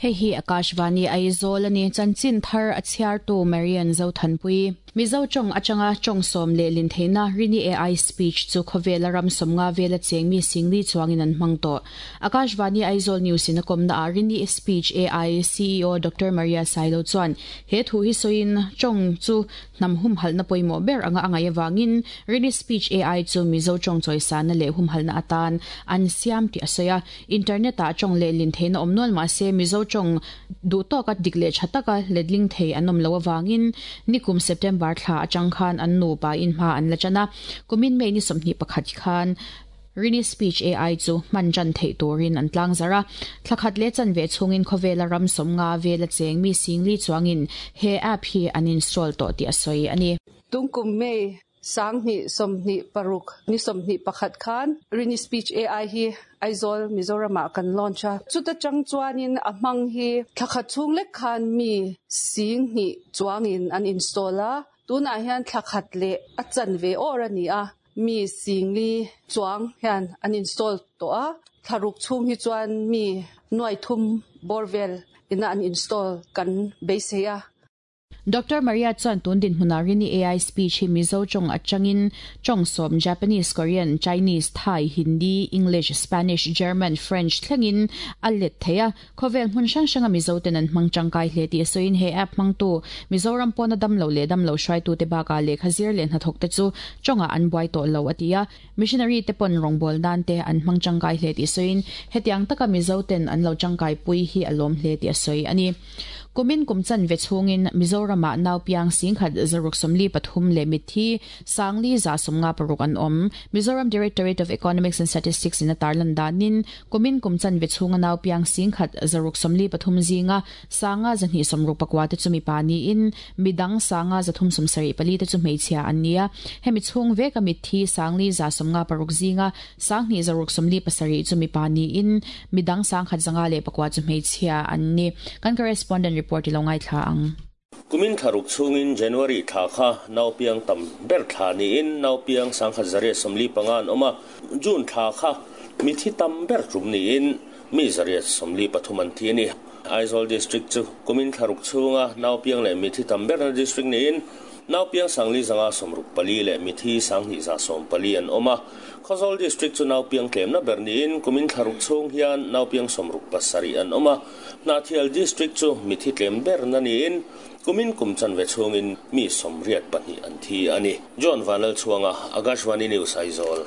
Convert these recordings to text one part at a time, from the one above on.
Hei hi Akashvani Aizawl a ni. Chanchin thar a chhiartu Marian Zothanpui. Mizo tawng atanga tawng sawm leh lin theihna Rini AI Speech chu khawvela ram sawmnga vela cheng mi singli chuangin an hmang tawh. Akashvani Aizawl News in a kawmna ah Rini Speech AI CEO Doctor Maria Sailo chuan he thu hi sawiin tawng chu Hnam humhalhna pawimawh ber anga a ngaih avangin Rini Speech AI chu Mizo tawng chawisana leh humhalhna atan an siam tih a sawi a. Internet-ah tawng lehlin theihna awm nual mah se Mizo tawng duh tawka dik leh tha taka letling thei an awm loh avangin nikum September thla atang khan an nupa in hma an la tan a. Kumin May ni 21 khan Rini Speech AI chu hman tan theih turin an tlang zarh a. Thla khat leh chanve chhungin khawvela ram sawmnga vela cheng mi singli chuangin he app hi an install tawh tih a sawi a ni. Tungkum May 2026 ni 21 khan Rini Speech AI hi Aizawl, Mizoramah kan launch a. Chuta chang chuanin a hmang hi thla khat chhung lek khan mi 2000 chuangin an install a. Tunah hian thla khat leh a chanve awr a ni a. Mi singli chuang hian an install tawh a, thlaruk chhung hi chuan mi nuai thum bawr vel ina an install kan beisei a. Doctor Maria chuan tun dinhmunah Rini AI Speech hi Mizo tawng atangin tawng sawm Japanese, Korean, Chinese, Thai, Hindi, English, Spanish, German, French thlengin a let thei a. Khawvel hmun hrang hranga Mizo ten an hmang tangkai hle tih a sawiin he app hmangtu Mizoram pawna damlo leh damlo hruaitute bakah lehkha zir leh hnathawk te chu tawngah an buai tawh lo a ti a. Missionary te pawn rawngbâwl nan te an hmang tangkai hle tih sawiin hetiang taka Mizo ten an lo tangkai pui hi a lawm hle tih a sawi a ni. Kumin kum chanve chhungin Mizoramah naupiang 1643 leh mitthi 5156 an awm. Mizoram Directorate of Economics and Statistics in a tarlan danin Kumin kum chanve chhunga nau piang 1643 zinga 5269 te chu mipa niin midang 5374 te chu hmeichhia an ni a. Hemi chhung veka mitthi 5156 zinga 2647 chu mipa niin midang 1504 chu hmeichhia an ni. Kan correspondent report i lo ngaithla ang. Kumin thlaruk chhungin January thla kha naupiang tam ber thla niin naupiang 1145 an awm a, June thla kha mithi tam ber tum niin mi 123 an thi a ni. Aizawl District chu kumin thlaruk chhunga naupiang leh mithi tam berna district niin naupiang 4564 leh mithi 2114 an awm a. Khawzawl District chu naupiang tlemna ber niin kumin thlaruk chhung hian naupiang 67 an awm a. Hnahthial District chu mithi tlem berna niin kumin kum chanve chhungin mi 82 an thi a ni. John Vanlalchhuanga, Akashvani News, Aizawl.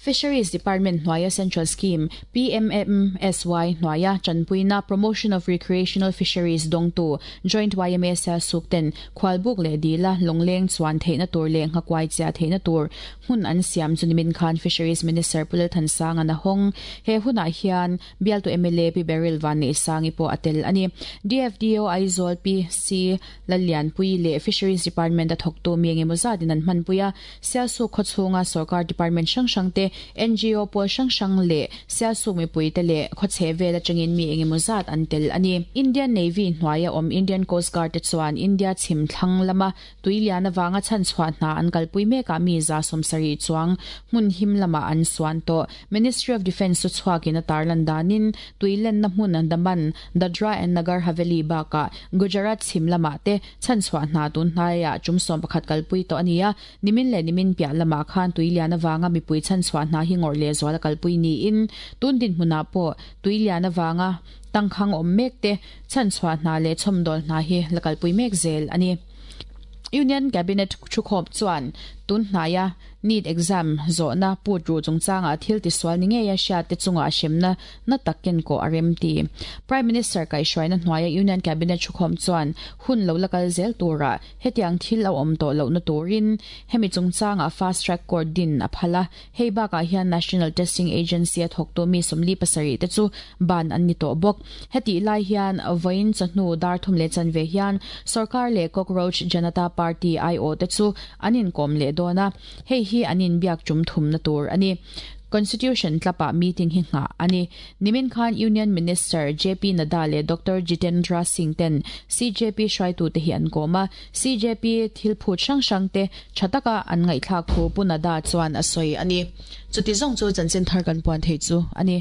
Fisheries Department hnuaia Central Scheme, PMMSY, hnuaia tanpuina Promotion of Recreational Fisheries dawngtu Joint yma Sialsuk ten khualbuk leh dila lawngleng chuan theihna tur leh nghakuai chiah theihna tur hmun an siam chu nimin khan Fisheries Minister Pu Lalthansanga a hawng. He hunah hian Bialtu mla Pi Beryl Vanneihsangi pawh a tel a ni. DFDO Aizawl Pi C Lallianpui leh Fisheries Department a thawktu mi engemaw zatin an hmanpui a. Sialsuk khawchhunga sawrkar department hrang hrangte, ngo pawl hrang hrang leh Sialsuk mipuite leh khawchhe vel atangin mi engemaw zat an tel a ni. Indian Navy hnuaia awm Indian Coast Guard te chuan India chhim thlang lama Tui lian avanga chhanchhuah hna an kalpui mekah mi 70 chuang hmun him lamah an suan tawh. Ministry of Defence chu chhuakin a tarlan danin tui lenna hmun Daman, Dadra and Nagar Haveli bakah Gujarat chhim lamah te chhanchhuah hna tun hnaiah tum 11 kalpui tawh a ni a. Nimin leh nimin piah lamah khan tui lian avanga mipui chhanchhuah hna hi ngawrh leh zual a kalpui niin tun dinhmunah pawh tui lian avanga tangkhang awm mek te chhanchhuah hna leh chhawmdawl hna hi la kalpui mek zel a ni. Union Cabinet thukhawp chuan tun hnaia NEET exam zawhna put ruh chungchangah thil tisual ni ngeia hriatte chungah hremna na tak kenkawh a rem ti. Prime Minister kaihhruaina hnuaia Union Cabinet thukhawm chuan hun lo la kal zel turah hetiang thil a awm tawh lohna turin hemi chungchangah Fast Track Court din a phal a. Hei bakah hian National Testing Agency a thawktu mi 47 te chu ban an ni tawh bawk. Hetih lai hian vawiin chawhnu dar thum leh chanve hian sorkar leh Cockroach Janata Party aiawh te chu an inkawm leh dawn a, hei hi an inbiak tum thumna tur a ni. Constitution tlapah meeting hi nghah a ni. Nimin khan Union Minister JP Nadda leh Doctor Jitendra Singh ten CJP hruaitute hi an kawm a, CJP thil phut hrang hrang te tha taka an ngaihthlak thu Pu Nadda chuan a sawi a ni. Chuti zawng chu chanchin thar kan puan thei chu a ni.